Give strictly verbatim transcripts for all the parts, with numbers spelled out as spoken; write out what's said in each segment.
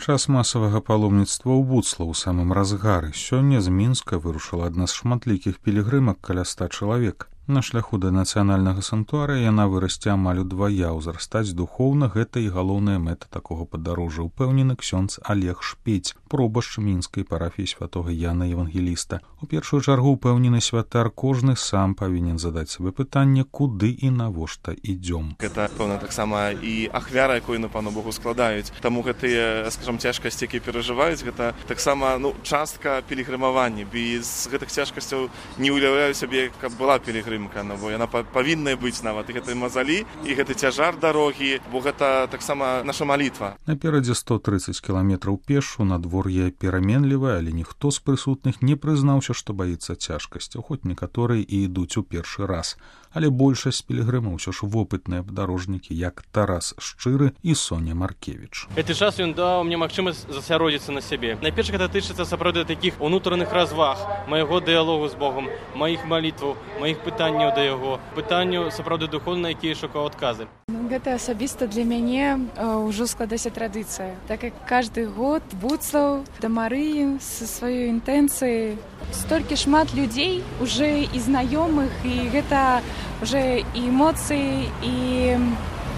Час масавага паломніцтва ў Буцла ў самым разгары. Сёння з Мінска вырушыла адна з шматлікіх пілігрымак каля ста чалавек. На шляху да нацыянальнага санктуарыя яна вырасце амаль удвая. Узрастаць духоўна — гэта і галоўная мэта такога падарожжа, упэўнены ксёндз Олег Шпець, пробашч мінскай парафіі святога Яна Евангеліста. У першую чаргу, упэўнены святар, кожны сам павінен задаць сабе пытанне, куды і навошта ідзём. Гэта, пэўна, таксама і ахвяра, якую на Пану Богу складаюць. Таму гэтыя, скажам, цяжкасці, якія перажываюць, гэта таксама, ну, частка пілігрымавання. Без гэтых цяжкасцяў не ўяўляю сабе, каб была пілігрымавання. Ну, бо яна павінна быць нават і гэтай мазалі, і гэты цяжар дарогі, бо гэта таксама наша малітва. Наперадзе сто трыццаць кіламетраў пешу, надвор'е пераменлівае, але ніхто з прысутных не прызнаўся, што баіцца цяжкасцяў, хоць некаторыя і ідуць у першы раз. Але большасць пілігрымаў усё ж вопытныя падарожнікі, як Тарас Шчыры і Соня Маркевіч. Гэты час ён даў мне магчымасць засяродзіцца на сябе. Найперш гэта тычыцца сапраўды такіх унутраных разваг, майго дыялогу з Богом, маіх малітваў, маіх пытанняў да яго, пытанняў сапраўды духоўна, якія шукаў адказы. Гэта асабіста для мяне ўжо складаецца традыцыя. Так як кожны год Буцлаў да Марыі са сваёй інтэнцыяй. Столькі шмат людзей уже і знаёмых, і гэта уже і эмоцыі, і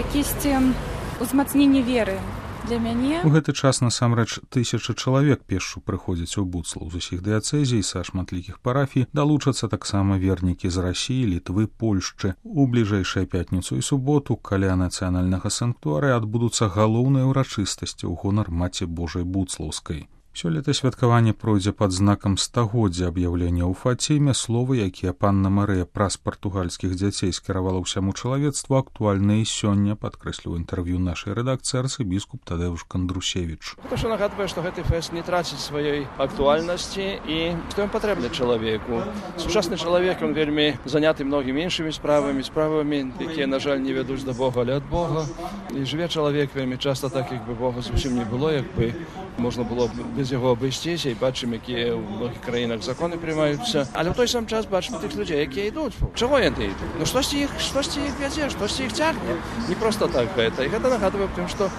якісьці узмацненне веры. Для мяне у гэты час насамрэч тысячы чалавек пешшу прыходзяць у Буцлаў з усіх дыяцэзій, са шматлікіх парафій, далучацца таксама вернікі з Расіі, Літвы, Польшчы. У бліжэйшую пятніцу і суботу каля нацыянальнага санктуарыя адбудуцца галоўныя ўрачыстасці ў гонар Маці Божай Буцлаўскай. Сёлета святкаванне пройдзе пад знакам стагоддзя аб'яўлення ў Фаціме. Словы, якія панна Марыя праз партугальскіх дзяцей скіравала ўсяму чалавецтву, актуальныя і сёння, падкрэсліў інтэрв'ю нашай рэдакцыі арцыбіскуп Тадэўш Кандрусевіч. Гэта ж нагадвае, што гэты фэст не траціць сваёй актуальнасці і што ён патрэбны чалавеку. Сучасны чалавек, ён вельмі заняты многімі іншымі справамі, справамі, якія, на жаль, не вядуць да Бога, але ад Бога. І жыве чалавек вельмі часта так, як бы Бога зусім не было, як бы можна было без яго абысціся, і бачым, якія ў многіх краінах законы прымаюцца. Але ў той сам час бачым тых людзей, якія ідуць. Чаго яны ідуць? Ну штосьці іх, штосьці іх вядзе, штосьці іх цягне. Не проста так гэта. І гэта нагадвае тым, што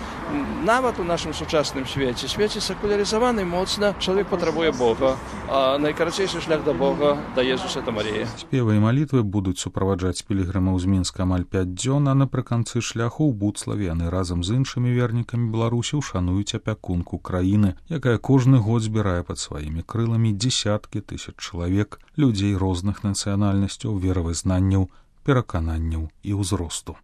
нават у нашым сучасным свеце, свеце секулярызаваны моцна, чалавек патрабуе Бога, а найкарацейшы шлях да Бога дае Свята Марія. Спевы і малітвы будуць суправаджаць пілігрымаў з Мінска амаль пяць дзён, а напрыканцы шляху ў Буцлаве яны разам з іншымі вернікамі Беларусі ушануюць апякунку краіны, якая кожны год збірае пад сваімі крыламі дзесяткі тысяч чалавек, людзей розных нацыянальнасцяў, веравызнанняў, перакананняў і ўзросту.